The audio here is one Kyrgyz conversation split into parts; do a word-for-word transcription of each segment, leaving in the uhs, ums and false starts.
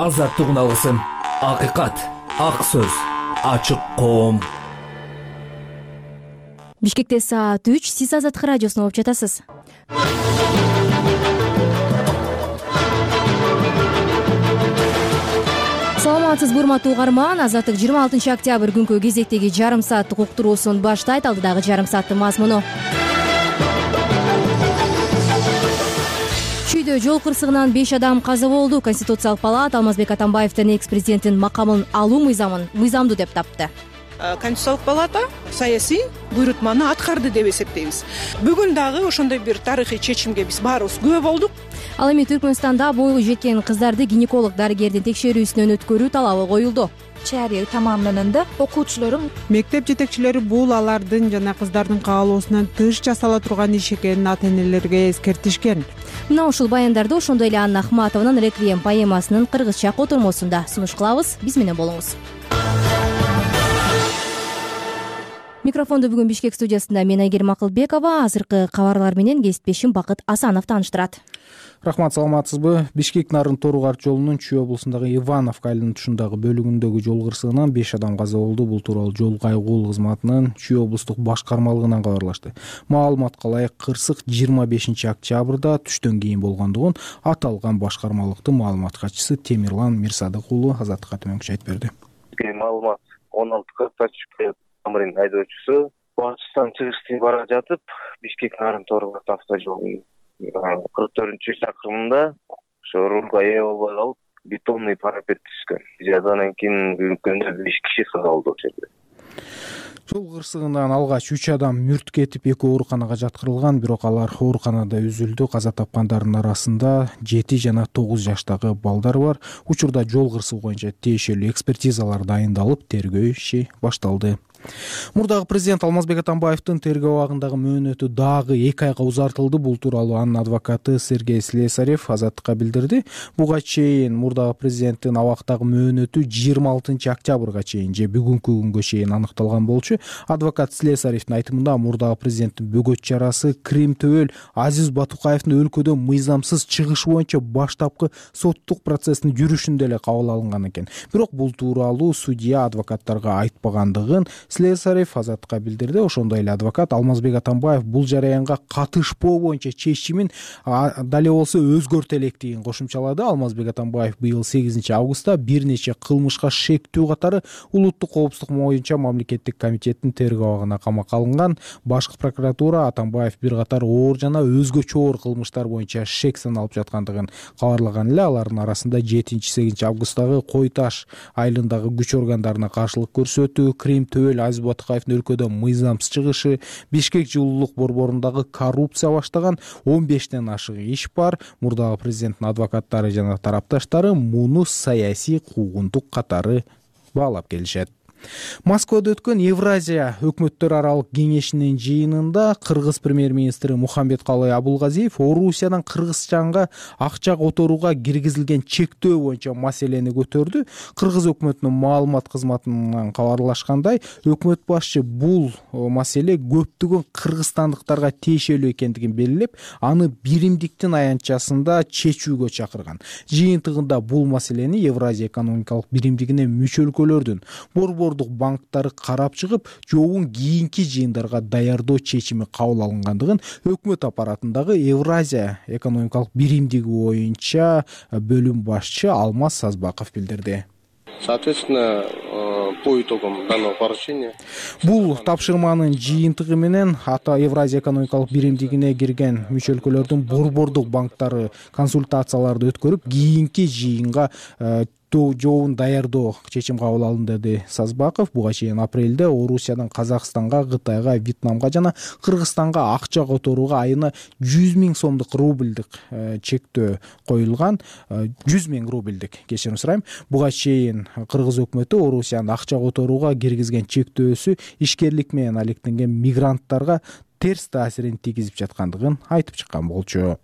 азаттык уналысын, акыйкат, ак сөз, ачык коом. Бишкекте саат үч, сиз Азаттык радиосуна угуп жатасыз. Саламатсыз урматтуу угарман, Азаттык жыйырма алтынчы октябрь күнкү кезектеги жарым сааттык уктуруусун баштайт. Алдыдагы жарым сааттын мазмуну: Чүйдө жол кырсыгынан беш адам каза болду. Конституциялык палата Алмазбек Атамбаевдин экс-президенттин макамын алуу мыйзамын мыйзамдуу деп тапты. Конституциялык палата саясий буйрутманы аткарды деп эсептейбиз. Бүгүн дагы ошондой бир тарыхый чечимге биз баарыбыз күбө болдук. Ал эми Түркмөнстанда бойго жеткен кыздарды гинеколог дарыгердин текшерүүсүнөн өткөрүү талабы коюлду. Чария тамамданында окуучулар, мектеп жетекчилери бул алардын жана кыздардын каалоосунан тыш жасала турган иш экенин ата-энелерге эскертишкен. Мына ушул баяндарды ошондой эле Анна Ахматованын «Реквием» поэмасынын кыргызча котормосунда сунуш кылабыз. Биз менен болуңуз. Микрофонду бүгүн Бишкек студиясында мен Айгерим Акылбекова, азыркы кабарлар менен кесиптешим Бакыт Асанов тааныштырат. Рахмат, саламатсызбы? Бишкек Нарын Тору-Карчы жолунун Чүй облусундагы Ивановка айылынын тушундагы бөлүгүндөгү жол кырсыгынан беш адам каза болду. Бул тууралуу жол кайгуул кызматынын Чүй облустук башкармалыгынан кабарлашты. Маалыматка ылайык, кырсык жыйырма бешинчи октябрда түштөн кийин болгондугун аталган башкармалыктын маалымат катчысы Темирлан Мирсадык уулу Азаттыкка төмөнкүчө айтып берди. Маалымат он алты кыркта түшкөн Амрин айдоочусу Батыштан чыгышты бара жатып, Бишкек Нарын Тору-Карчы автожолунун кырк төртүнчү чакырымында ошо рулга ээ болбой калып, бетонный парапет түшкөн. Жазадан кийин күнгө беш киши каза болду ошол жерде. Жол кырсыгынан алгач үч адам мүрт кетип, эки ооруканага жаткырылган, бирок алар ооруканада үзүлдү. Каза тапкандардын арасында жети жана тогуз жаштагы балдар бар. Учурда жол кырсыгы боюнча тиешелүү экспертизалар дайындалып, тергөө иши башталды. Мурдагы президент Алмазбек Атамбаевдин тергөө абагындагы мөөнөтү дагы эки айга узартылды. Бул тууралуу анын адвокаты Сергей Слесарев Азаттыкка билдирди. Буга чейин мурдагы президенттин абактагы мөөнөтү жыйырма алтынчы октябрга чейин же бүгүнкү күнгө чейин аныкталган болчу. Адвокат Слесаревдин айтымында, мурдагы президенттин бөгөт чарасы Крим Төбөл Азиз Батукаевдин өлкөдөн мыйзамсыз чыгышы боюнча баштапкы соттук процесстин жүрүшүндө эле кабыл алынган экен. Бирок бул тууралуу судья адвокаттарга айтпагандыгын Слесарев Азаттыкка билдирди. Ошондой эле адвокат Алмазбек Атамбаев бул жараянга катышпоо боюнча чечимин дале болсо өзгөртө электигин кошумчалады. Алмазбек Атамбаев быйыл сегизинчи августта бир нече кылмышка шектүү катары улуттук коопсуздук боюнча мамлекеттик комитеттин тергөө абагына камакка алынган. Башкы прокуратура Атамбаев бир катар оор жана өзгөчө оор кылмыштар боюнча шек саналып жаткандыгын кабарлаган эле. Алардын арасында жетинчи сегизинчи августтагы Кой Таш айылындагы күч органдарына каршылык көрсөтүү, Крим Төбөл Азиз Батукаевдин өлкөдөн мыйзамсыз чыгышы, Бишкек жылуулук борборундагы коррупция баштаган он бештен ашык иш бар. Мурдагы президенттин адвокаттары жана тарапташтары муну саясий куугунтук катары баалап келишет. Москвада өткөн Евразия өкмөттөр аралык кеңешинин жыйынында кыргыз премьер-министри Мухамбеткалый Абулгазиев Орусиядан Кыргызстанга акча которууга киргизилген чектөө боюнча маселени көтөрдү. Кыргыз өкмөтүнүн маалымат кызматынан кабарлашкандай, өкмөт башчы бул маселе көптөгөн кыргызстандыктарга тиешелүү экендигин белгилеп, аны биримдиктин аянтчасында чечүүгө чакырган. Жыйынтыгында бул маселени Евразия экономикалык биримдигине мүчө өлкөлөрдүн борбор банктары карап чыгып, жообун кийинки жыйындарга даярдоо чечими кабыл алынгандыгын өкмөт аппаратындагы Евразия экономикалык биримдиги боюнча бөлүм башчы Алмаз Сазбаков билдирди. Соответственно, по итогам данного поручения бул тапшырманын жыйынтыгы менен ата Евразия экономикалык биримдигине кирген мүчө өлкөлөрдүн борбордук банктары консультацияларды өткөрүп, кийинки жыйынга жообун даярдоо чечим кабыл алынды, деди Сазбаков. Буга чейин апрелде Орусиядан Казакстанга, Кытайга, Вьетнамга жана Кыргызстанга акча которууга айына жүз миң сомдук рубльдик чектөө коюлган. жүз миң рубльдик, кечирим сурайм. Буга чейин Кыргыз өкмөтү Орусияны акча которууга киргизген чектөөсү ишкерлик менен алектенген мигранттарга терс таасирин тийгизип жаткандыгын айтып чыккан болчу.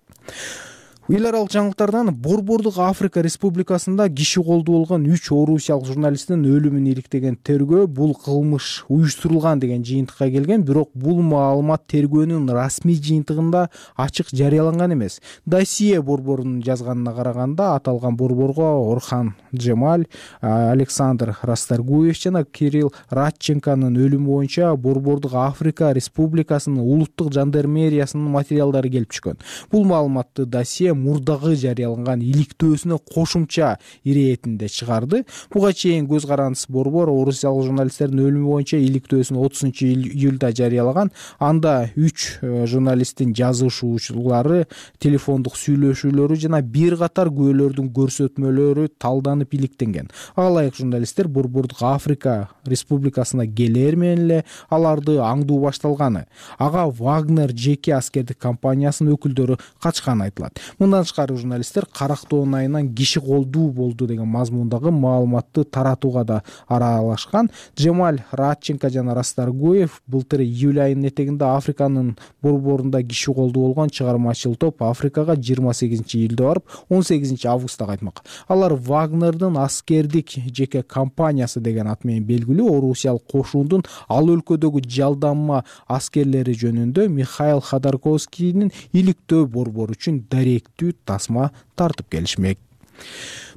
эл аралык жаңылыктардан Борбордук Африка Республикасында киши колду болгон үч орусиялык журналисттин өлүмүн иликтеген тергөө бул кылмыш уюштурулган деген жыйынтыкка келген, бирок бул маалымат тергөөнүн расмий жыйынтыгында ачык жарыяланган эмес. Досье борборунун жазганына караганда, аталган борборго Орхан Джемаль, Александр Расторгуев жана Кирилл Радченконун өлүмү боюнча Борбордук Африка Республикасынын улуттук жандармериясынын материалдары келип түшкөн. Бул маалыматты досье мурдагы жарыяланган иликтөөсүнө кошумча иретинде чыгарды. Буга чейин көз карандысыз борбор орусиялык журналисттердин өлүмү боюнча иликтөөсүн отузунчу июлда жарыялаган. Анда үч журналисттин жазышуулары, телефондук сүйлөшүүлөрү жана бир катар күбөлөрдүн көрсөтмөлөрү талданып иликтенген. Ага ылайык журналисттер Борбордук Африка Республикасына келер менен эле аларды аңдуу башталганы, ага Вагнер жеке аскердик компаниясынын өкүлдөрү качканы айтылат. Мындан тышкары журналисттер Карактоонун айынан киши колдуу болду деген мазмундагы маалыматты таратууга да аралашкан. Джемаль Радченко жана Расторгуев былтыр июль айынын этегинде Африканын борборунда киши колдуу болгон чыгармачыл топ Африкага жыйырма сегизинчи июлда барып, он сегизинчи августта кайтмак. Алар Вагнердин аскердик жеке компаниясы деген ат менен белгилүү орусиялык кошуундун ал өлкөдөгү жалданма аскерлери жөнүндө Михаил Ходорковскийдин иликтөө борбору үчүн даректүү тасма тартып келишмек.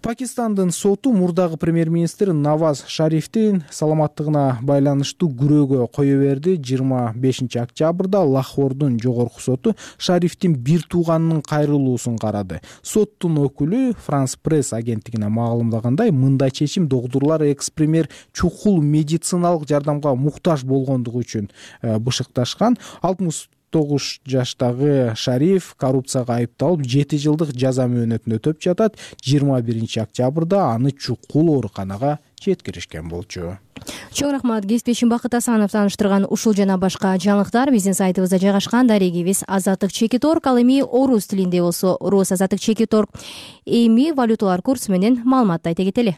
Пакистандын соту мурдагы премьер-министр Наваз Шарифтин саламаттыгына байланыштуу күрөөгө кое берди. жыйырма бешинчи октябрда Лахордун жогорку соту Шарифтин бир тууганынын кайрылуусун карады. Соттун өкүлү Франс Пресс агенттигине маалымдагандай, мындай чечим доктурлар экс-премьер чукул медициналык жардамга муктаж болгондугу үчүн бышыкташкан. алтымыш тогуз жаштагы Шариф коррупцияга айыпталып жети жылдык жаза мөөнөтүн өтөп жатат. жыйырма биринчи октябрда аны чукул ооруканага жеткиришкен болчу. Чоң рахмат кесиптешим Бакыт Асанов тааныштырган ушул жана башка жаңылыктар биздин сайтыбызда жайгашкан. Дарегибиз азаттык чекит точка орг, ал эми орус тилинде болсо Рус азаттык чекит точка орг. Эми валюталар курсу менен маалыматты айта кетели.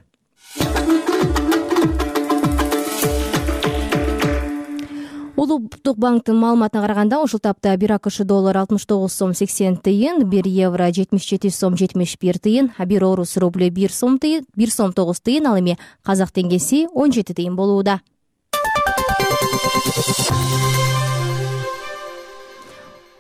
Улуттук банктын маалыматына караганда, ушул тапта бир АКШ доллар алтымыш тогуз сом сексен тыйын, бир евро жетимиш жети сом жетимиш бир тыйын, бир орус рубль бир сом тыйын, бир сом тогуз тыйын, ал эми казак теңгеси он жети тыйын болууда.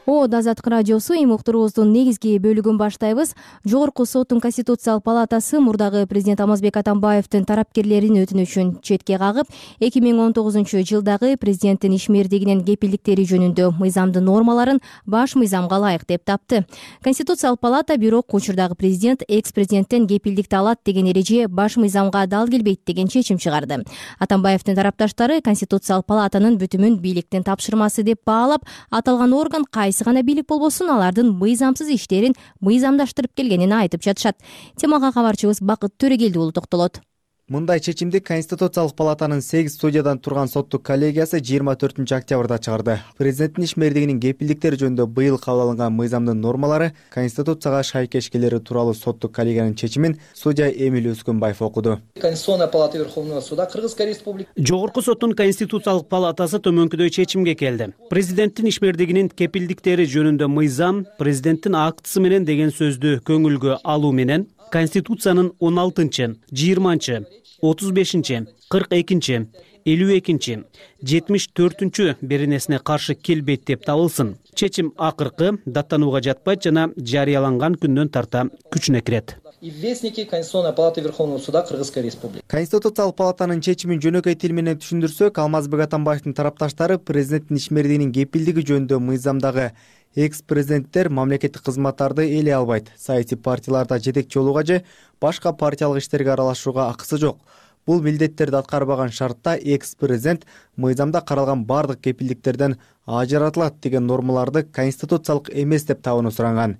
Од Азаттык радиосу эми уктуруубуздун негизги бөлүгүн баштайбыз. Жогорку соттун Конституциялык палатасы мурдагы президент Алмазбек Атамбаевдин тарапкерлеринин өтүнүчүн четке кагып, эки миң он тогузунчу жылдагы президенттин ишмердигинин кепилдиктери жөнүндө мыйзамдын нормаларын баш мыйзамга ылайык деп тапты. Конституциялык палата бирок учурдагы президент экс-президенттен кепилдикти алат деген эреже баш мыйзамга дал келбейт деген чечим чыгарды. Атамбаевдин тарапташтары Конституциялык палатанын бүтүмүн бийликтин тапшырмасы деп баалап, аталган орган кайсы гана бийлик болбосун алардын мыйзамсыз иштерин мыйзамдаштырып келгенин айтып жатышат. Темага кабарчыбыз Бакыт Төрегелди уулу токтолот. Мындай чечимди Конституциялык палатанын сегиз судьядан турган соттук коллегиясы жыйырма төртүнчү октябрда чыгарды. Президенттин ишмердигинин кепилдиктери жөнүндө быйыл кабыл алынган мыйзамдын нормалары Конституцияга шайкеш келери тууралуу соттук коллегиянын чечимин судья Эмиль Өскөнбаев окуду. Конституционная палата Верховного суда Кыргызской республики. Жогорку соттун Конституциялык палатасы төмөнкүдөй чечимге келди. Президенттин ишмердигинин кепилдиктери жөнүндө мыйзам президенттин актысы менен деген сөздү көңүлгө алуу менен Конституциянын он алтынчы, жыйырманчы, отуз бешинчи, кырк экинчи, элүү экинчи, жетимиш төртүнчү беренесине каршы келбейт деп табылсын. Чечим акыркы даттанууга жатпайт жана жарыяланган күндөн тарта күчүнө кирет. И вестники Конституционной палаты Верховного суда Кыргызской республики. Конституциялык палатанын чечимин жөнөкөй тил менен түшүндүрсөк, Алмазбек Атамбаевдин тарапташтары президенттин ишмердигинин кепилдиги жөнүндө мыйзамдагы экс-президенттер мамлекеттик кызматтарды ээлей албайт, саясий партияларда жетекчи болууга же башка партиялык иштерге аралашууга акысы жок. Бул милдеттерди аткарбаган шартта экс-президент мыйзамда каралган бардык кепилдиктерден ажыратылат деген нормаларды конституциялык эмес деп табууну суранган.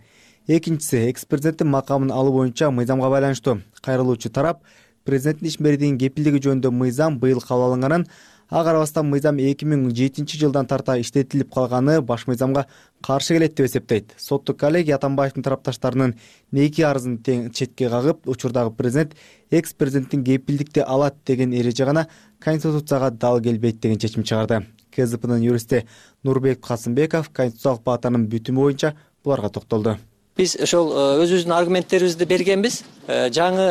Экинчиси, экс-президенттин макамын алуу боюнча мыйзамга байланыштуу. Кайрылуучу тарап президенттин ишмердигинин кепилдиги жөнүндө мыйзам быйыл кабыл алынганын, ага карабастан мыйзам эки миң жетинчи жылдан тарта иштетилип калганы баш мыйзамга каршы келет деп эсептейт. Соттук коллегия Атамбаевдин тарапташтарынын эки арызын тең четке кагып, учурдагы президент экс-президенттин кепилдикти алат деген эреже гана Конституцияга дал келбейт деген чечим чыгарды. КЗПнын юристи Нурбек Касымбеков Конституциялык палатанын бүтүмү боюнча буларга токтолду. биз ошол өзүбүздүн аргументтерибизди бергенбиз. Жаңы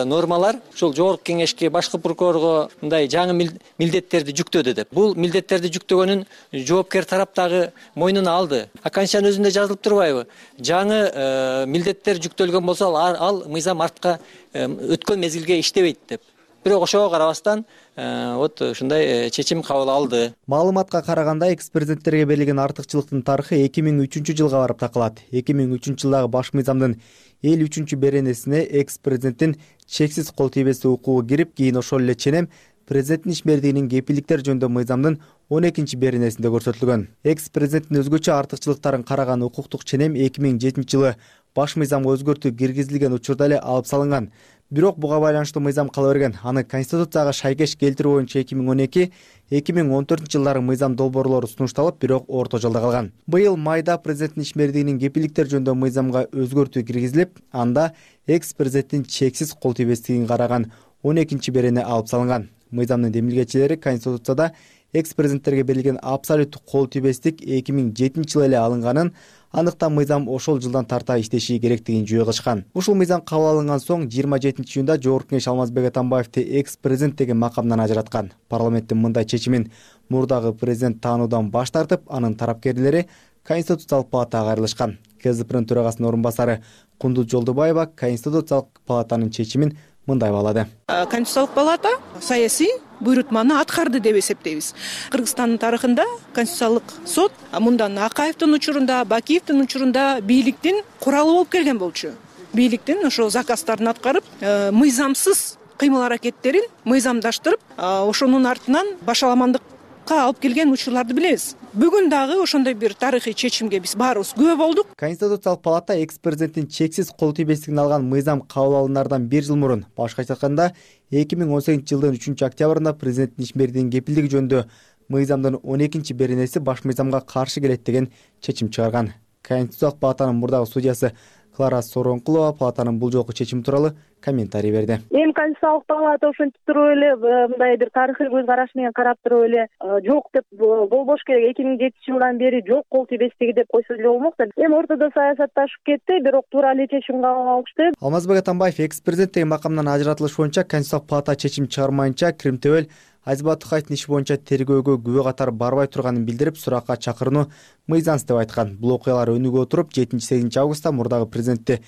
нормалар ушул жогорку кеңешке, башкы прокурорго мындай жаңы милдеттерди жүктөдү деп. Бул милдеттерди жүктөгөнүн жоопкер тарап дагы мойнуна алды. А Конституциянын өзүндө жазылып турбайбы? Жаңы милдеттер жүктөлгөн болсо ал мыйзам артка өткөн мезгилге иштебейт деп. Бирок ошого карабастан вот ушундай чечим кабыл алды. Маалыматка караганда экс президенттерге берилген артыкчылыктын тарыхы эки миң үчүнчү жылга барып такалат. эки миң үчүнчү жылдагы баш мыйзамдын элүү үчүнчү беренесине экс президенттин чексиз кол тийбестик укугу кирип, кийин ошол эле ченем президенттин ишмердигинин кепилдиктер жөнүндө мыйзамдын он экинчи беренесинде көрсөтүлгөн. Экс президенттин өзгөчө артыкчылыктарын караган укуктук ченем эки миң жетинчи жылы баш мыйзамга өзгөртүү киргизилген учурда эле алып салынган. Бирок буга байланыштуу мыйзам кала берген. Аны Конституцияга шайкеш келтирүү боюнча эки миң он эки эки миң он төртүнчү жылдары мыйзам долбоорлору сунушталып, бирок орто жолдо калган. Быйыл майда президенттин ишмердигинин кепилдиктер жөнүндө мыйзамга өзгөртүү киргизилип, анда экс президенттин чексиз кол тийбестигин караган он экинчи берене алып салынган. Мыйзамдын демилгечилери Конституцияда экс президенттерге берилген абсолюттук кол тийбестик эки миң жетинчи жылы эле алынганын, андыктан мыйзам ошол жылдан тарта иштеши керектигин жөө кылышкан. Ушул мыйзам кабыл алынган соң жыйырма жетинчи июнда Жогорку кеңеш Алмазбек Атамбаевди экс президент деген макамдан ажыраткан. Парламенттин мындай чечимин мурдагы президент таануудан баш тартып, анын тарапкерлери Конституциялык палатага кайрылышкан. КСДПнын төрагасынын орун басары Кундуз Жолдубаева Конституциялык палатанын чечимин мындай баалады. Конституциялык палата саясий буйрутманы аткарды деп эсептейбиз. Кыргызстандын тарыхында Конституциялык сот мындан Акаевдин учурунда, Бакиевдин учурунда бийликтин куралы болуп келген болчу. Бийликтин ошо заказдарын аткарып, мыйзамсыз кыймыл аракеттерин мыйзамдаштырып, ошонун артынан башаламандыкка алып келген учурларды билебиз. Бүгүн дагы ошондой бир тарыхый чечимге биз баарыбыз күбө болдук. Конституциялык палата экс президенттин чексиз кол тийбестигин алган мыйзам кабыл алынардан бир жыл мурун, башкача айтканда эки миң он сегизинчи жылдын үчүнчү октябрында президенттин ишмердигинин кепилдиги жөнүндө мыйзамдын он экинчи беренеси баш мыйзамга каршы келет деген чечим чыгарган. Конституциялык палатанын мурдагы судьясы Клара Соронкулова палатанын бул жолку чечими тууралуу комментарий берди. Эми Конституциялык палата ошентип туруп эле мындай бир тарыхый көз караш менен карап туруп эле жок деп болбош керек. эки миң жетинчи жылдан бери жок кол тийбестиги деп койсо деле болмок да. Эми ортодо саясатташып кетти, бирок туура эле чечим кабыл алышты. Алмазбек Атамбаев экс президент деген макамдан ажыратылыш боюнча Конституциялык палата чечим чыгармайынча Крим Тебел Азизбек Тукаевдин иши боюнча тергөөгө күбө катары барбай турганын билдирип, суракка чакырууну мыйзамсыз деп айткан. Бул окуялар өнүгө туруп, жетинчи сегизинчи августта мурдагы президентти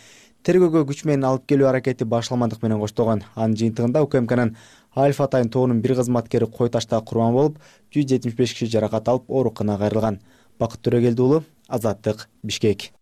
тергөөгө күч менен алып келүү аракети башталмандык менен коштолгон. Анын жыйынтыгында УКМКнын Альфа Атайын тобунун бир кызматкери кой ташта курбан болуп, жүз жетимиш беш киши жаракат алып, ооруканага кайрылган. Бакыт Төрөгелди уулу, Азаттык, Бишкек.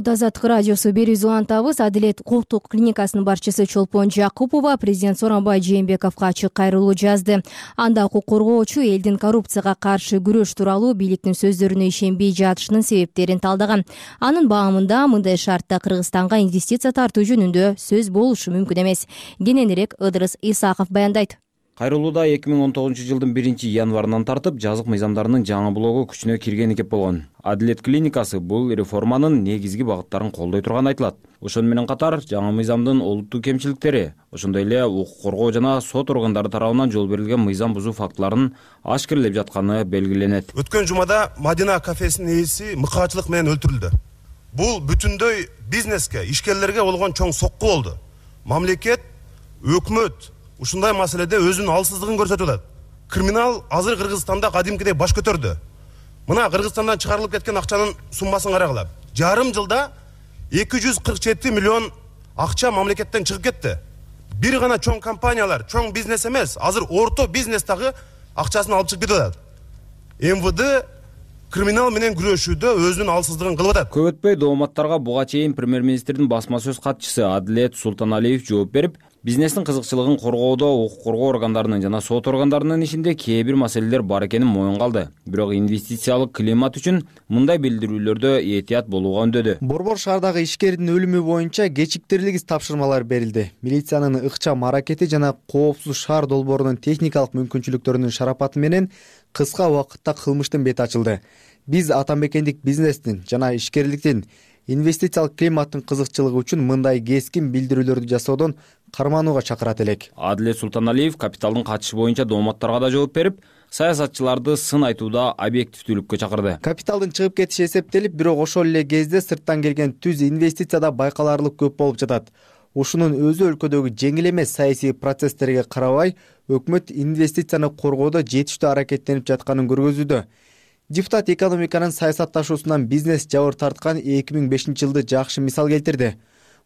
Азаттык радиосу берүүбүздү улантабыз. Адилет коктук клиникасынын башчысы Чолпон Жакупова президент Сооронбай Жээнбековго ачык кайрылуу жазды. Анда укук коргоочу элдин коррупцияга каршы күрөш тууралуу бийликтин сөздөрүнө ишенбей жатышынын себептерин талдаган. Анын баамында мындай шартта Кыргызстанга инвестиция тартуу жөнүндө сөз болушу мүмкүн эмес. Кененирээк Ыдырыс Исаков баяндайт. Кайрылууда эки миң он тогузунчу жылдын биринчи январынан тартып жазык мыйзамдарынын жаңы блогу күчүнө киргени кеп болгон. Адилет клиникасы бул реформанын негизги багыттарын колдой турганы айтылат. Ошону менен катар жаңы мыйзамдын олуттуу кемчиликтери, ошондой эле укук коргоо жана сот органдары тарабынан жол берилген мыйзам бузуу фактыларын ашкерелеп жатканы белгиленет. Өткөн жумада Мадина кафесинин ээси мыкаачылык менен өлтүрүлдү. Бул бүтүндөй бизнеске, ишкерлерге болгон чоң сокку болду. Мамлекет, өкмөт ушундай маселеде өзүнүн алсыздыгын көрсөтүп атат. Криминал азыр Кыргызстанда кадимкидей баш көтөрдү. Мына Кыргызстандан чыгарылып кеткен акчанын суммасын карагыла. Жарым жылда эки жүз кырк жети миллион акча мамлекеттен чыгып кетти. Бир гана чоң компаниялар, чоң бизнес эмес, азыр орто бизнес дагы акчасын алып чыгып кетип атат. МВД криминал менен күрөшүүдө өзүнүн алсыздыгын кылып атат. Көп өтпөй дооматтарга буга чейин премьер-министрдин басма сөз катчысы Адилет Султаналиев жооп берип, бизнестин кызыкчылыгын коргоодо укук коргоо органдарынын жана сот органдарынын ишинде кээ бир маселелер бар экенин моюнга алды. Бирок инвестициялык климат үчүн мындай билдирүүлөрдө этият болууга үндөдү. Борбор шаардагы ишкердин өлүмү боюнча кечиктирилгис тапшырмалар берилди. Милициянын ыкчам аракети жана коопсуз шаар долбоорунун техникалык мүмкүнчүлүктөрүнүн шарапаты менен кыска убакытта кылмыштын бети ачылды. Биз атамекендик бизнестин жана ишкерликтин инвестициялык климаттын кызыкчылыгы үчүн мындай кескин билдирүүлөрдү жасоодон карманууга чакырат элек. Адилет Султаналиев капиталдын качышы боюнча дооматтарга да жооп берип, саясатчыларды сын айтууда объективдүүлүккө чакырды. Капиталдын чыгып кетиши эсептелип, бирок ошол эле кезде сырттан келген түз инвестиция да байкалаарлык көп болуп жатат. Ушунун өзү өлкөдөгү жеңил эмес саясий процесстерге карабай, өкмөт инвестицияны коргоодо жетиштүү аракеттенип жатканын көргөзүүдө. Депутат экономиканын саясатташуусунан бизнес жабыр тарткан эки миң бешинчи жылды жакшы мисал келтирди.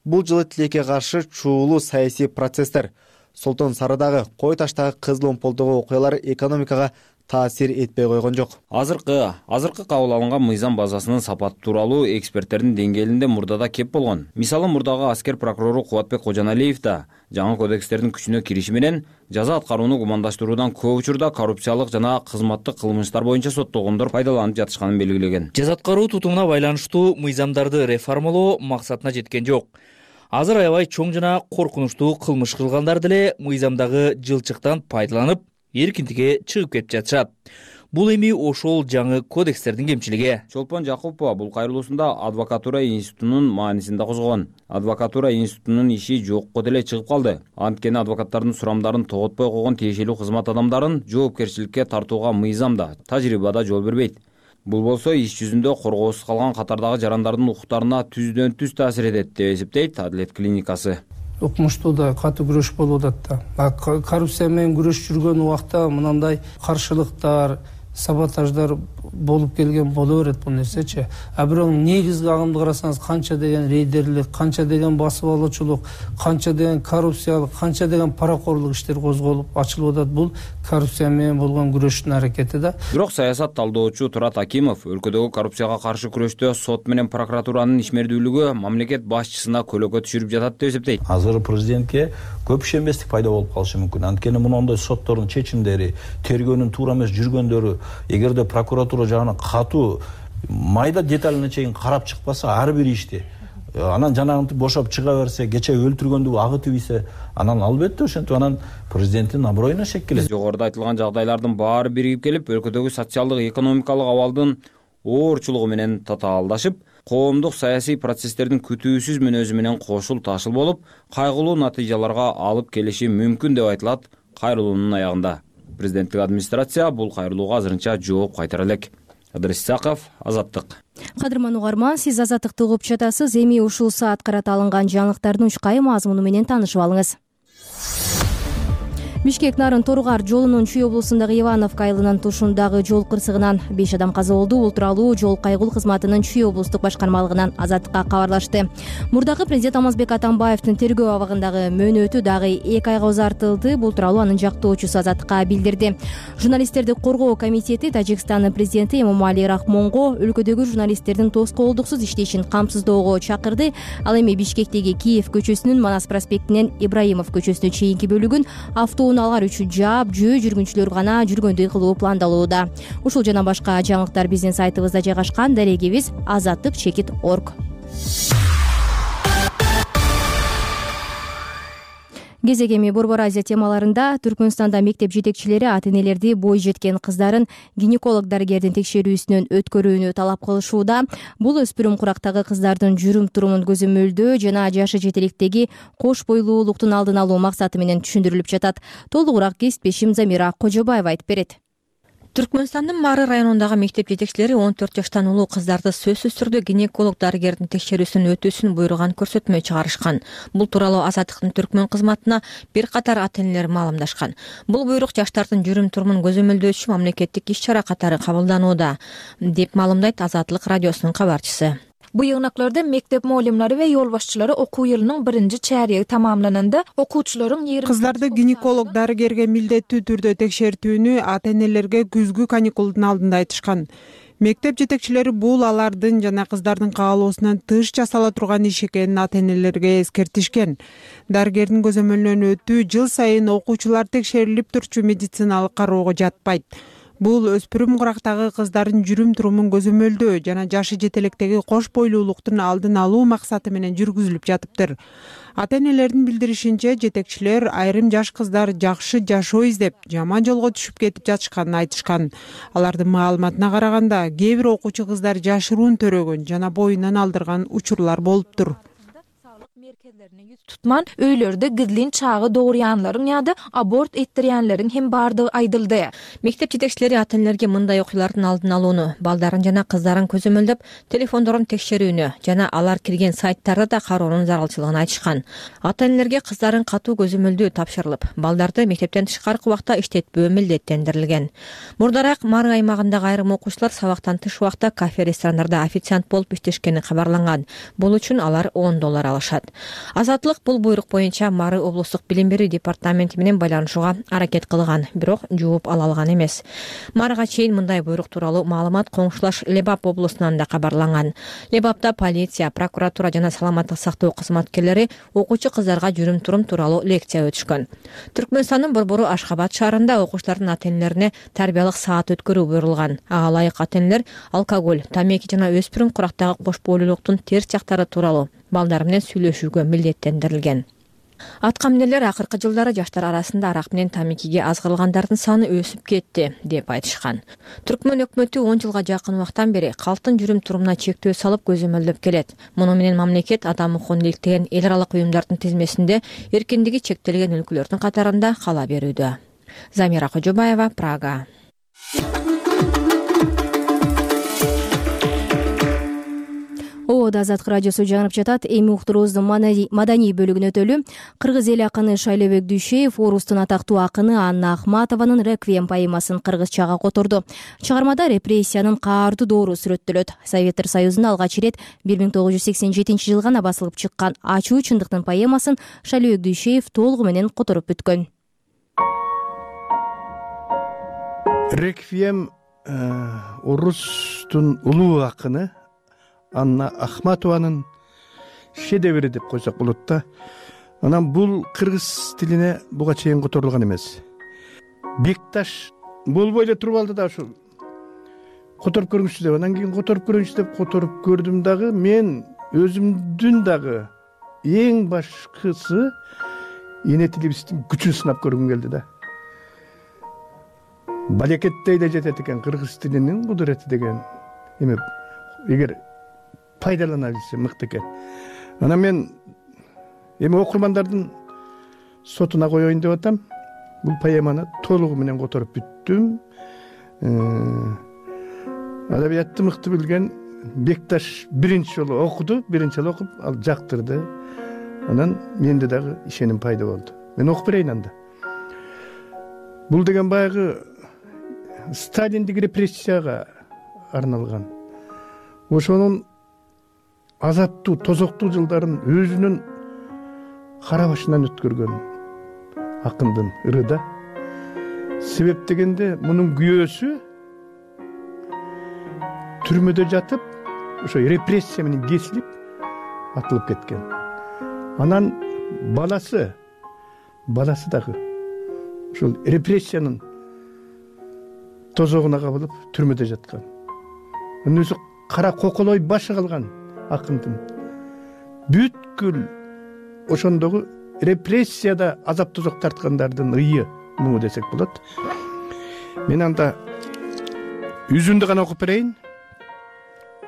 Бул жылы тилекке каршы чуулуу саясий процесстер, Солтон Сарыдагы, Кой Таштагы кызыл омполдогу окуялар экономикага таасир этпей койгон жок. Азыркы азыркы кабыл алынган мыйзам базасынын сапаты тууралуу эксперттердин деңгээлинде мурдада кеп болгон. Мисалы, мурдагы аскер прокурору Кубатбек Кожоналиев да жаңы кодекстердин күчүнө кириши менен жаза аткарууну гумандаштыруудан көп учурда коррупциялык жана кызматтык кылмыштар боюнча соттолгондор пайдаланып жатышканын белгилеген. Жаза аткаруу тутумуна байланыштуу мыйзамдарды реформалоо максатына жеткен жок. Азыр аябай чоң жана коркунучтуу кылмыш кылгандар деле мыйзамдагы жылчыктан пайдаланып, эркиндикке чыгып кетип жатышат. Бул эми ошол жаңы кодекстердин кемчилиги. Чолпон Жакупова бул кайрылуусунда адвокатура институтунун маанисин да козгогон. Адвокатура институтунун иши жокко деле чыгып калды. Анткени адвокаттардын сурамдарын тоготпой койгон тиешелүү кызмат адамдарын жоопкерчиликке тартууга мыйзам да, тажрыйба да жол бербейт. Бул болсо иш жүзүндө коргоосуз калган катардагы жарандардын укуктарына түздөн түз таасир этет деп эсептейт Адилет клиникасы. Укмуштууда катуу күрөш болуп атат да. Коррупция менен күрөшүп жүргөн убакта мындай каршылыктар, саботаждар болуп келген боло берет бул нерсечи. А бирок негизги агымды карасаңыз, канча деген рейдерлик, канча деген басып алуучулук, канча деген коррупциялык, канча деген паракорлук иштер козголуп ачылып атат. Бул коррупция менен болгон күрөштүн аракети да. Бирок саясат талдоочу Турат Акимов өлкөдөгү коррупцияга каршы күрөштө сот менен прокуратуранын ишмердүүлүгү мамлекет башчысына көлөкө түшүрүп жатат деп эсептейт. Азыр президентке көп ишенбестик пайда болуп калышы мүмкүн. Анткени мындай соттордун чечимдери, тергөөнүн туура эмес жүргөндөрү, эгерде прокуратура жагынан катуу майда деталине чейин карап чыкпаса, ар бир ишти анан жанагынтип бошоп чыга берсе, кече өлтүргөндү агытып ийсе, анан албетте ошентип анан президенттин аброюна шек келет. Жогоруда айтылган жагдайлардын баары биригип келип, өлкөдөгү социалдык экономикалык абалдын оорчулугу менен татаалдашып, коомдук саясий процесстердин күтүүсүз мүнөзү менен кошул ташыл болуп, кайгылуу натыйжаларга алып келиши мүмкүн деп айтылат кайрылуунун аягында. Президенттик администрация бул кайрылууга азырынча жооп кайтара элек. Адрес Исаков, Азаттык. Кадырман угарман, сиз Азаттыкты угуп жатасыз. Эми ушул саат карата алынган жаңылыктардын учкай мазмуну менен таанышып алыңыз. Бишкек Нарын Торугар жолунун Чүй облусундагы Ивановка айылынын тушундагы жол кырсыгынан беш адам каза болду. Бул тууралуу жол кайгылуу кызматынын Чүй облустук башкармалыгынан Азаттыкка кабарлашты. Мурдагы президент Алмазбек Атамбаевдин тергөө абагындагы мөөнөтү дагы эки айга узартылды. Бул тууралуу анын жактоочусу Азаттыкка билдирди. Журналисттерди коргоо комитети Тажикстандын президенти Эмомали Рахмонго өлкөдөгү журналисттердин тоскоолдуксуз иштешин камсыздоого чакырды. Ал эми Бишкектеги Киев көчөсүнүн Манас проспектинен Ибраимов көчөсүнө чейинки бөлүгүн автоунаа алар үчүн жаап, жөө жүргүнчүлөр гана жүргөндөй кылуу пландалууда. Ушул жана башка жаңылыктар биздин сайтыбызда жайгашкан. Дарегибиз азаттык чекит точка орг. Кезек эми Борбор Азия темаларында Түркмөнстанда мектеп жетекчилери ата-энелерди бой жеткен кыздарын гинеколог дарыгердин текшерүүсүнөн өткөрүүнү талап кылышууда. Бул өспүрүм курактагы кыздардын жүрүм-турумун көзөмөлдөө жана жашы жетеликтеги кош бойлуулуктун алдын алуу максаты менен түшүндүрүлүп жатат. Толугураак кесиптешим Замира Кожобаева айтып берет. Түркмөнстандын Мары районундагы мектеп жетекчилери он төрт жаштан улуу кыздарды сөзсүз түрдө гинеколог дарыгердин текшерүүсүн өтүүсүн буйруган көрсөтмө чыгарышкан. Бул тууралуу Азаттыктын Түркмөн кызматына бир катар ата-энелер маалымдашкан. Бул буйрук жаштардын жүрүм-турумун көзөмөлдөөчү мамлекеттик иш-чара катары кабылданууда, деп маалымдайт Азаттык радиосунун кабарчысы. Bu yığınaklarda mektep muallimleri ve yol başçıları okuu yılının birinci çeyreği tamamlanında okuwçuların yirmi Kızlarda ginekolog darıgerge mildettүү түрдө tekşertүүnü ата-энелерге күзгү каникулдун алдында айтышкан. Мектеп жетекчилери бул алардын жана кыздардын каалоосунан тыш жасала турган иш экенин ата-энелерге эскертишкен. Дарыгердин көзөмөлүнөн өтүү жыл сайын окуучулар текшерилип турчу медициналык кароого жатпайт. Бул өспүрүм курактагы кыздардын жүрүм турумун көзөмөлдөө жана жашы жете электеги кош бойлуулуктун алдын алуу максаты менен жүргүзүлүп жатыптыр. Ата-энелердин билдиришинче, жетекчилер айрым жаш кыздар жакшы жашоо издеп, жаман жолго түшүп кетип жатышканын айтышкан. Алардын маалыматына караганда, кээ бир окуучу кыздар жашыруун төрөгөн жана боюнан алдырган учурлар болуптур. Tutman öylörde gizlin çağı doğrayanların ya da abort ettirýänlerin hem bardygy aýdyldy. Мектеп жетекчилери ата-энелерге мындай окуялардын алдын алууну, балдарын жана кыздарын көзөмөлдөп, телефондорун текшерүүнү жана алар кирген сайттарды да кароонун зарылчылыгын айтышкан. Ата-энелерге кыздарын катуу көзөмөлдөө тапшырылып, балдарды мектептен тышкаркы убакта иштетпөө милдеттендирилген. Мурдараак Мары аймагындагы айрым окуучулар сабактан тыш убакта кафе, ресторандарда официант болуп иштешкени кабарланган. Бул үчүн алар он доллар алышат. Азаттылык бул буйрук боюнча Мары облустук билим берүү департаменти менен байланышууга аракет кылган, бирок жооп ала алган эмес. Марыга чейин мындай буйрук тууралуу маалымат коңшулаш Лебап облусунан да кабарланган. Лебапта полиция, прокуратура жана саламаттык сактоо кызматкерлери окуучу кыздарга жүрүм турум тууралуу лекция өтүшкөн. Түркмөнстандын борбору Ашхабад шаарында окуучулардын ата-энелерине тарбиялык саат өткөрүү буйрулган. Ага ылайык ата-энелер алкоголь, тамеки жана өспүрүм курактагы кош бойлуулуктун терс жактары тууралуу балдар менен сүйлөшүүгө милдеттендирилген. Аткаминерлер акыркы жылдары жаштар арасында арак менен тамекиге азгырылгандардын саны өсүп кетти деп айтышкан. Түркмөн өкмөтү он жылга жакын убактан бери калктын жүрүм турумуна чектөө салып көзөмөлдөп келет. Муну менен мамлекет адам укугун иликтеген эл аралык уюмдардын тизмесинде эркиндиги чектелген өлкөлөрдүн катарында кала берүүдө. Замира Кожобаева, Прага. Ободо Азаттык радиосу жаңырып жатат. Эми уктуруубуздун маданий бөлүгүнө өтөлү. Кыргыз эл акыны Шайлебек Дүйшеев Орустун атактуу акыны Анна Ахматованын Реквием поэмасын кыргызчага которду. Чыгармада репрессиянын каардуу доору сүрөттөлөт. Советтер Союзунда алгач ирет бир миң тогуз жүз сексен жетинчи жылы гана басылып чыккан Ачуу чындыктын поэмасын Шайлебек Дүйшеев толугу менен которуп бүткөн. Реквием Орустун улуу акыны Анна Ахматованын шедеври деп койсок болот да. Анан бул кыргыз тилине буга чейин которулган эмес. Бекташ болбой эле туруп алды да ушу которуп көрүңүзчү деп. Анан кийин которуп көрүңүзчү деп которуп көрдүм дагы. Мен өзүмдүн дагы эң башкысы эне тилибиздин күчүн сынап көргүм келди да. Балекеттей эле жетет экен кыргыз тилинин кудурети деген эме. Эгер пайдалана билсе мыкты экен. Анан мен эми окурмандардын сотуна коеюн деп атам. Бул поэманы толугу менен которуп бүттүм. Адабиятты мыкты билген Бекташ биринчи жолу окуду, биринчи жолу окуп, ал жактырды. Анан менде дагы ишеним пайда болду. Мен окуп берейин анда. Бул деген баягы Сталиндик репрессияга арналган. Ошонун азаптуу, тозоктуу жылдарын өзүнүн кара башынан өткөргөн акындын ыры да. Себеп дегенде мунун күйөөсү түрмөдө жатып, ошо репрессия менен кесилип атылып кеткен. Анан баласы, баласы дагы ошол репрессиянын тозогуна кабылып түрмөдө жаткан. Анын өзү кара коколой башы калган акындын бүткүл ошондогу репрессияда азап тозок тарткандардын ыйы муну десек болот. Мен анда үзүндү гана окуп берейин.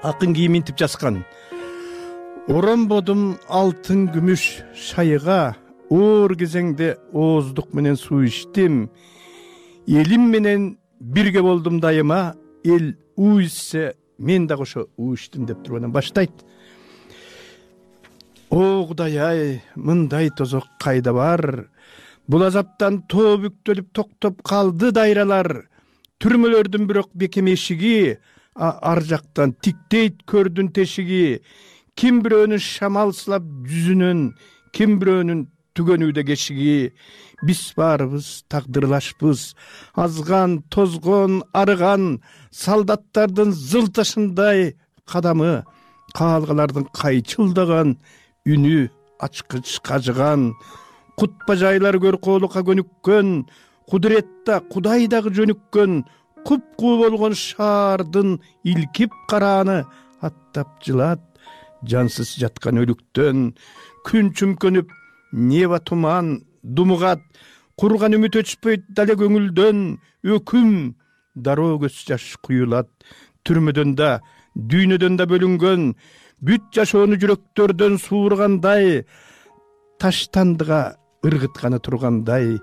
Акын кийиминтип жазган. Оромбодум алтын күмүш шайыга, оор кезеңде ооздук менен суу ичтим. Элим менен бирге болдум дайыма, эл уу ичсе мен дагы ошо уу ичтим деп туруп анан баштайт. О Кудай ай, мындай тозок кайда бар? Бул азаптан тоо бүктөлүп токтоп калды дайралар. Түрмөлөрдүн бирок бекем эшиги, ар жактан тиктейт көрдүн тешиги. Ким бирөөнүн шамалсылап жүзүнөн, ким бирөөнүн түгөнүүдө кешиги. Биз баарыбыз тагдырлашпыз, азган, тозгон, арыган, солдаттардын зылтышындай кадамы, каалгалардын кайчылдаган үнү ачкыч кажыган, кут бажайлар көркөөлукка көнүккөн, кудуретта Кудай дагы жөнүккөн, купкуу болгон шаардын илкип карааны аттап жылат жансыз жаткан өлүктөн. Күн чүмкөнүп неба туман думугат, курган үмүт өчпөйт дале көңүлдөн. Өкүм дароо көз жаш куюлат. Түрмөдөн да дүйнөдөн да бөлүнгөн бүт жашоону жүрөктөрдөн суургандай, таштандыга ыргытканы тургандай.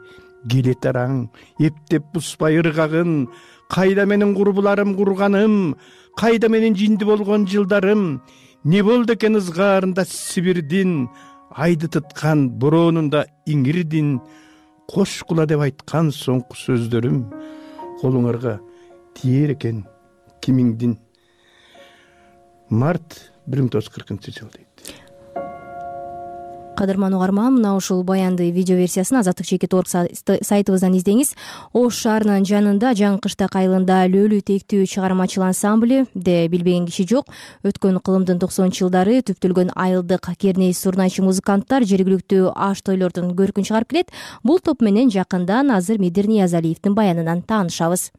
Келет араң эптеп буспай ыргагын, кайда менин курбуларым курганым, кайда менин жинди болгон жылдарым. Не болду экен ызгаарында Сибирдин, айды тыткан бороонунда иңирдин. Кош кула деп айткан соңку сөздөрүм колуңарга тиер экен кимиңдин. Март бир миң тогуз жүз кыркынчы жыл дейт. Кадырман угарман, мына ушул баянды видео версиясын азаттык чекит орг сайтыбыздан издеңиз. Ош шаарынын жанында жаңы кыштак айылында Лөлү тектүү чыгармачыл ансамблде билбеген киши жок. Өткөн кылымдын токсонунчу жылдары түптөлгөн айылдык керней сурнайчы музыканттар жергиликтүү аш тойлордун көркүн чыгарып келет. Бул топ менен жакындан азыр Медир Ниязалиевдин баянынан таанышабыз.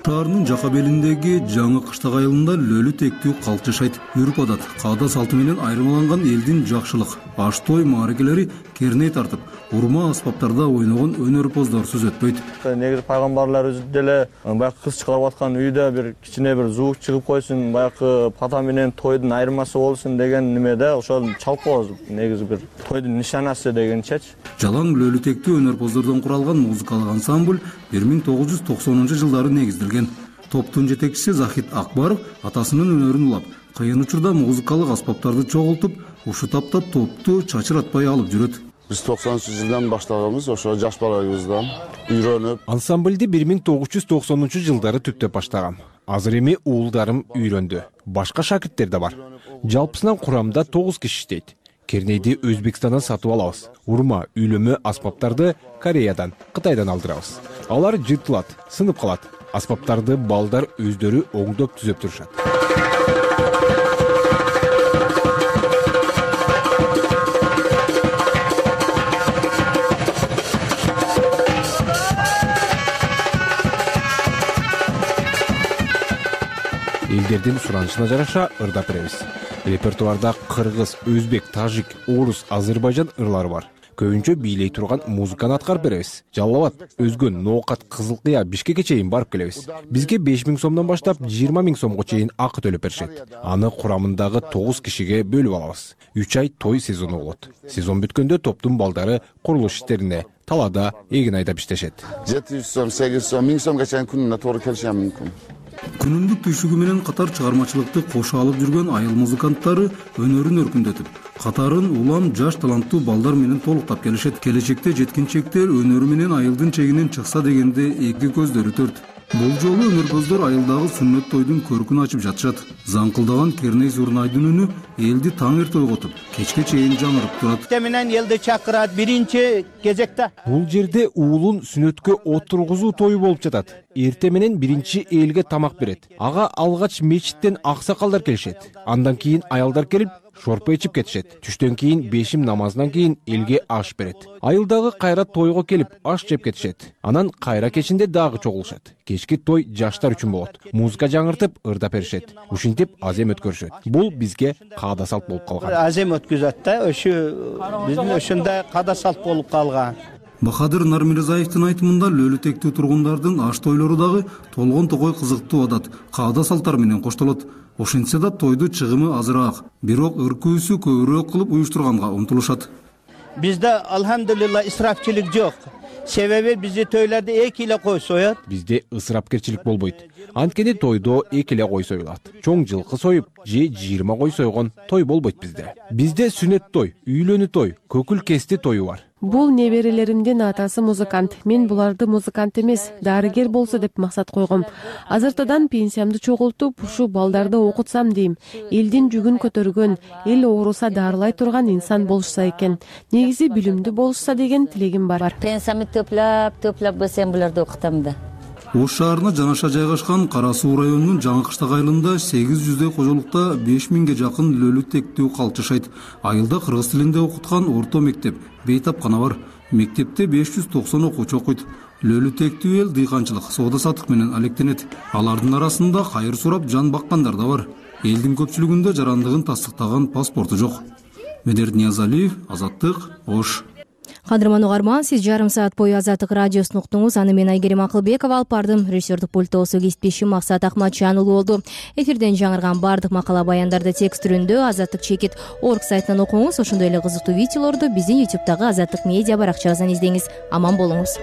Шаарынын жака белиндеги жаңы кыштак айылында Лөлү тектүү калк жашайт. Үрп адат, каада салты менен айырмаланган элдин жакшылык, аш той мааракелери керней тартып, урма аспаптарда ойногон өнөрпоздор сөз өтпөйт. Негизи пайгамбарларыбыз деле баягы кыз чыгарып аткан үйдө бир кичине бир звук чыгып койсун, баягы пата менен тойдун айырмасы болсун деген немеде ошол чалып коебуз. Негизи бир тойдун нишанасы дегенчечи. Жалаң Лөлү тектүү өнөрпоздордон куралган музыкалык ансамбль бир миң тогуз жүз токсонунчу жылдары негизделген. Топтун жетекчиси Захит Акбаров атасынын өнөрүн улап, кыйын учурда музыкалык аспаптарды чогултуп, ушу тапта топту чачыратпай алып жүрөт. Биз токсонунчу жылдан баштаганбыз, ошо жаш балабыздан үйрөнүп. Ансамблди бир миң тогуз жүз токсонунчу жылдары түптөп баштагам. Азыр эми уулдарым үйрөндү. Башка шакирттер да бар. Жалпысынан курамда тогуз киши иштейт. Кернейди Өзбекстандан сатып алабыз. Урма, үйлөмө аспаптарды Кореядан, Кытайдан алдырабыз. Алар жыртылат, сынып калат. Аспаптарды балдар өздөрү оңдоп түзөп турушат. Элдердин суранышына жараша ырдап беребиз. Репертуарда кыргыз, өзбек, тажик, орус, азербайжан ырлары бар. Көбүнчө бийлей турган музыканы аткарып беребиз. Жалал Абад, Өзгөн, Ноокат, Кызыл Кыя, Бишкекке чейин барып келебиз. Бизге беш миң сомдон баштап жыйырма миң сомго чейин акы төлөп беришет. Аны курамындагы тогуз кишиге бөлүп алабыз. үч ай той сезону болот. Сезон бүткөндө топтун балдары курулуш иштерине, талаада, эгин айдап иштешет. жети жүз сом, сегиз жүз сом, миң сомго чейин күнүнө туура келиши мүмкүн. Күнүмдүк түйшүгү менен катар чыгармачылыкты кошо алып жүргөн айыл музыканттары өнөрүн өркүндөтүп, катарын улам жаш таланттуу балдар менен толуктап келишет. Келечекте жеткинчектер өнөрү менен айылдын чегинен чыкса дегенде эки көздөрү төрт. Бул жолу өнөрпоздор айылдагы сүннөт тойдун көркүн ачып жатышат. Заңкылдаган керней зурнайдын үнү элди таң эрте ойготуп, кечке чейин жаңырып турат. Менен элди чакырат биринчи кезекте. Бул жерде уулун сүннөткө отургузуу тою болуп жатат. Эрте менен биринчи элге тамак берет. Ага алгач мечиттен аксакалдар келишет. Андан кийин аялдар келип шорпо ичип кетишет. Түштөн кийин бешим намазынан кийин элге аш берет. Айылдагы кайра тойго келип аш жеп кетишет. Анан кайра кечинде дагы чогулушат. Кечки той жаштар үчүн болот. Музыка жаңыртып, ырдап беришет. Ушинтип азем өткөрүшөт. Бул бизге каада салт болуп калган. Азем өткөзөт да, ошо биздин ошондой каада салт болуп калган. Бахадыр Нармирзаевдин айтымында Лөлү тектүү тургундардын аш тойлору дагы толгон токой кызыктуу адат, каада салттар менен коштолот. Ошентсе да тойду чыгымы азыраак, бирок ыркүүсү көбүрөөк кылып уюштурганга умтулушат. Бизде алхамдулилла исрафчылык жок. Себеби бизди тойларда эки эле кой соёт. Бизде ысырапкерчилик болбойт. Анткени тойдо эки эле кой союлат. Чоң жылкы союп, же жыйырма кой сойгон той болбойт бизде. Бизде сүннөт той, үйлөнүү той, көкүл кести тою бар. Бул неберелеримдин атасы музыкант. Мен буларды музыкант эмес, дарыгер болсо деп максат койгом. Азыртадан пенсиямды чогултуп, ушу балдарды окутсам дейм. Элдин жүгүн көтөргөн, эл ооруса дарылай турган инсан болушса экен. Негизи билимдүү болушса деген тилегим бар. Пенсиямды төплөп, төплөп болсом буларды окутам да. Ош шаарына жанаша жайгашкан Кара Суу районунун жаңы кыштак айылында сегиз жүздөй кожолукта беш миңге жакын Лөлү тектүү калк жашайт. Айылда кыргыз тилинде окуткан орто мектеп, бейтапкана бар. Мектепте беш жүз токсон окуучу окуйт. Лөлү тектүү эл дыйканчылык, соода саттык менен алектенет. Алардын арасында кайыр сурап жан баккандар да бар. Элдин көпчүлүгүндө жарандыгын тастыктаган паспорту жок. Медерт Ниязалиев, Азаттык, Ош. Кадырман угарман, сиз жарым саат бою Азаттык радиосун уктуңуз. Аны мен Айгерим Акылбекова алып бардым. Режиссердик пультосу кесиптешим Максат Акматжанұлы болду. Эфирден жаңырган бардык макала баяндарды текст түрүндө Азаттык чекит орг сайтынан окуңуз. Ошондой эле кызыктуу видеолорду биздин ютубтагы Азаттык медиа баракчабыздан издеңиз. Аман болуңуз.